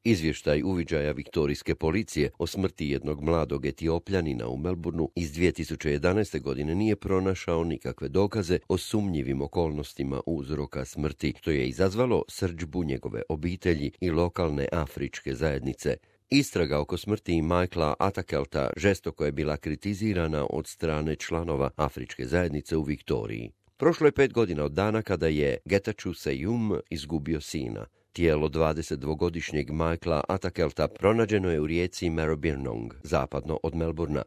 Izvještaj uviđaja viktorijske policije o smrti jednog mladog Etiopljanina u Melbourneu iz 2011. godine nije pronašao nikakve dokaze o sumnjivim okolnostima uzroka smrti, što je izazvalo srdžbu njegove obitelji i lokalne afričke zajednice. Istraga oko smrti Michaela Atakelta žestoko je bila kritizirana od strane članova afričke zajednice u Viktoriji. Prošlo je 5 godina od dana kada je Getachew Seyum izgubio sina. Tijelo 22-godišnjeg Michaela Atakelta pronađeno je u rijeci Maribyrnong, zapadno od Melbournea.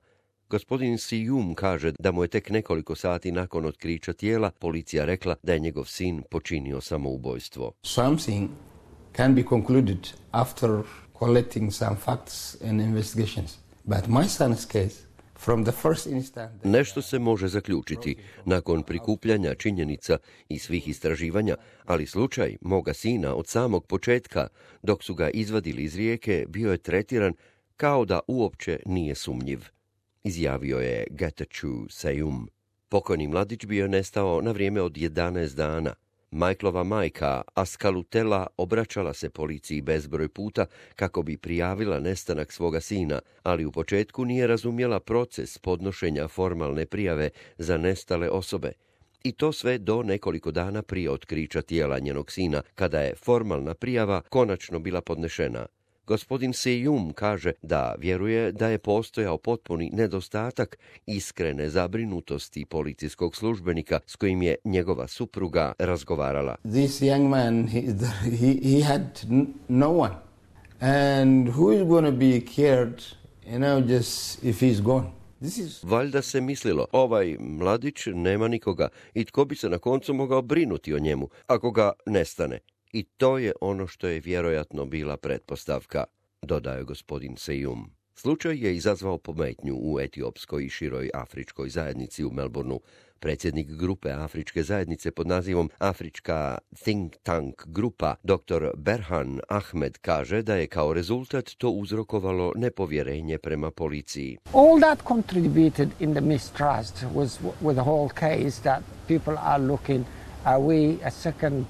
Gospodin Seyum kaže da mu je tek nekoliko sati nakon otkrića tijela policija rekla da je njegov sin počinio samoubojstvo. Something can be concluded after collecting some facts and investigations. But my son's case, from the first instant... Nešto se može zaključiti nakon prikupljanja činjenica i svih istraživanja, ali slučaj moga sina od samog početka, dok su ga izvadili iz rijeke, bio je tretiran kao da uopće nije sumnjiv, izjavio je Getachew Seyum. Pokojni mladić bio je nestao na vrijeme od 11 dana. Michaelova majka Askalutela obraćala se policiji bezbroj puta kako bi prijavila nestanak svoga sina, ali u početku nije razumjela proces podnošenja formalne prijave za nestale osobe. I to sve do nekoliko dana prije otkrića tijela njenog sina, kada je formalna prijava konačno bila podnešena. Gospodin Seyum kaže da vjeruje da je postojao potpuni nedostatak iskrene zabrinutosti policijskog službenika s kojim je njegova supruga razgovarala. This young man, he had no one. And who is going to be cared, just if he's gone? Valjda se mislilo, ovaj mladić nema nikoga i tko bi se na koncu mogao brinuti o njemu ako ga nestane. I to je ono što je vjerojatno bila pretpostavka, dodaje gospodin Seyum. Slučaj je izazvao pometnju u etiopskoj i široj afričkoj zajednici u Melbourneu. Predsjednik grupe afričke zajednice pod nazivom Afrička Think Tank grupa, dr. Berhan Ahmed, kaže da je kao rezultat to uzrokovalo nepovjerenje prema policiji. All that contributed in the mistrust was with the whole case that people are looking, are we a second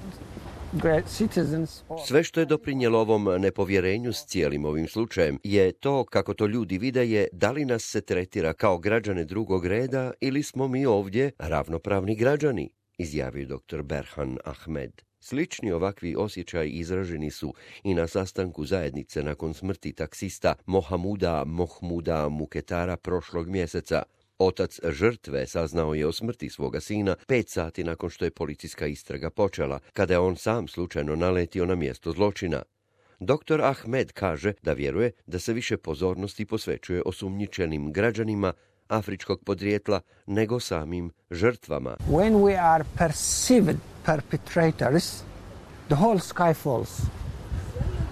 Sve što je doprinijelo ovom nepovjerenju s cijelim ovim slučajem je to kako to ljudi vide je da li nas se tretira kao građane drugog reda ili smo mi ovdje ravnopravni građani, izjavio dr. Berhan Ahmed. Slični ovakvi osjećaji izraženi su i na sastanku zajednice nakon smrti taksista Mohmuda Muketara prošlog mjeseca. Otac žrtve saznao je o smrti svoga sina 5 sati nakon što je policijska istraga počela, kada je on sam slučajno naletio na mjesto zločina. Dr. Ahmed kaže da vjeruje da se više pozornosti posvećuje osumnjičenim građanima afričkog podrijetla nego samim žrtvama. When we are perceived perpetrators, the whole sky falls.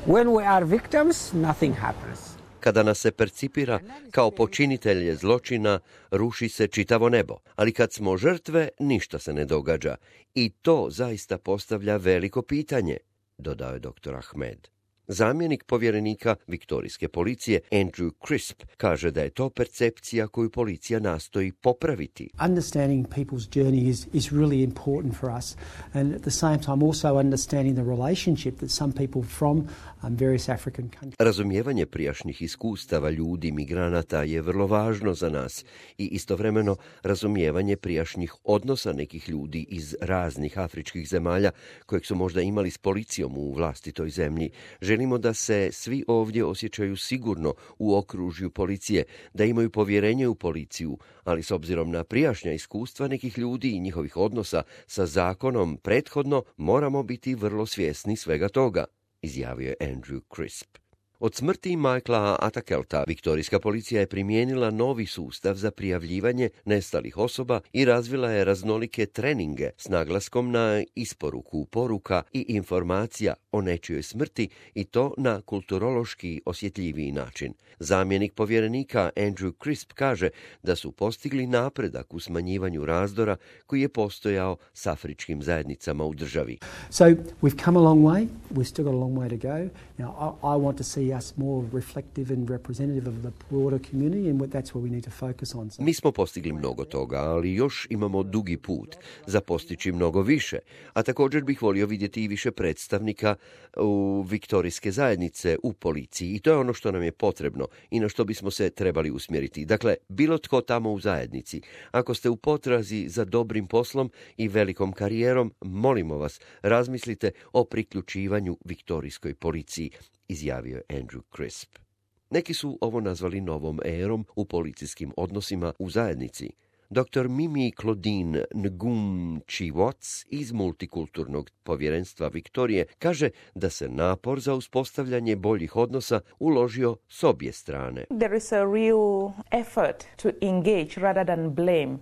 When we are victims, nothing happens. Kada nas se percipira kao počinitelje zločina, ruši se čitavo nebo, ali kad smo žrtve, ništa se ne događa. I to zaista postavlja veliko pitanje, dodao je dr. Ahmed. Zamjenik povjerenika viktorijske policije Andrew Crisp kaže da je to percepcija koju policija nastoji popraviti. Understanding people's journey is really important for us, and at the same time also understanding the relationship that some people from various African countries. Razumijevanje prijašnjih iskustava ljudi, migranata je vrlo važno za nas i istovremeno razumijevanje prijašnjih odnosa nekih ljudi iz raznih afričkih zemalja kojeg su možda imali s policijom u vlastitoj zemlji. Želimo da se svi ovdje osjećaju sigurno u okružju policije, da imaju povjerenje u policiju, ali s obzirom na prijašnja iskustva nekih ljudi i njihovih odnosa sa zakonom prethodno moramo biti vrlo svjesni svega toga, izjavio je Andrew Crisp. Od smrti Michaela Atakelta viktorijska policija je primijenila novi sustav za prijavljivanje nestalih osoba i razvila je raznolike treninge s naglaskom na isporuku poruka i informacija o nečijoj smrti i to na kulturološki osjetljiviji način. Zamjenik povjerenika Andrew Crisp kaže da su postigli napredak u smanjivanju razdora koji je postojao s afričkim zajednicama u državi. So we've come a long way. We've still got a long way to go. Now, I want to see us more reflective and representative of the broader community, and that's where we need to focus on. Mi smo postigli mnogo toga, ali još imamo dugi put za postići mnogo više, a također bih volio vidjeti i više predstavnika u viktorijske zajednice u policiji i to je ono što nam je potrebno i na što bismo se trebali usmjeriti. Dakle, bilo tko tamo u zajednici, ako ste u potrazi za dobrim poslom i velikom karijerom, molimo vas, razmislite o priključivanju viktorijskoj policiji, izjavio je Andrew Crisp. Neki su ovo nazvali novom erom u policijskim odnosima u zajednici. Dr. Mimi Claudine Ngum-Chi-Watts iz Multikulturnog povjerenstva Viktorije kaže da se napor za uspostavljanje boljih odnosa uložio s obje strane. There is a real effort to engage rather than blame.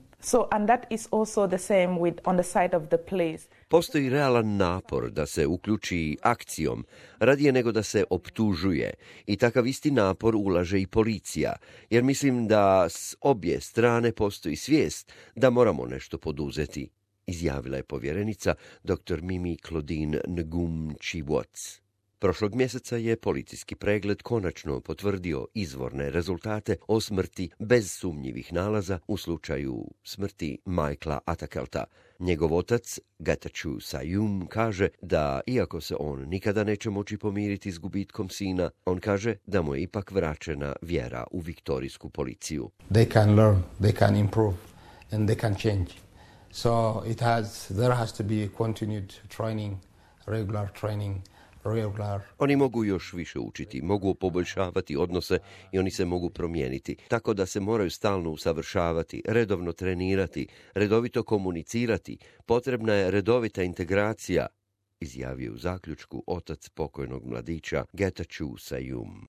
And that is also the same on the side of the police. Postoji realan napor da se uključi akcijom, radije nego da se optužuje. I takav isti napor ulaže i policija, jer mislim da s obje strane postoji svijest da moramo nešto poduzeti, izjavila je povjerenica dr. Mimi Claudine Ngum-Chi-Watts. Prošlog mjeseca je policijski pregled konačno potvrdio izvorne rezultate o smrti bez sumnjivih nalaza u slučaju smrti Michaela Atakelta. Njegov otac, Getachew Sayum, kaže da, iako se on nikada neće moći pomiriti s gubitkom sina, on kaže da mu je ipak vraćena vjera u viktorijsku policiju. They can learn, they can improve, and they can change. So there has to be continued training, regular training. Oni mogu još više učiti, mogu poboljšavati odnose i oni se mogu promijeniti, tako da se moraju stalno usavršavati, redovno trenirati, redovito komunicirati. Potrebna je redovita integracija, izjavio u zaključku otac pokojnog mladića Getachew Sayum.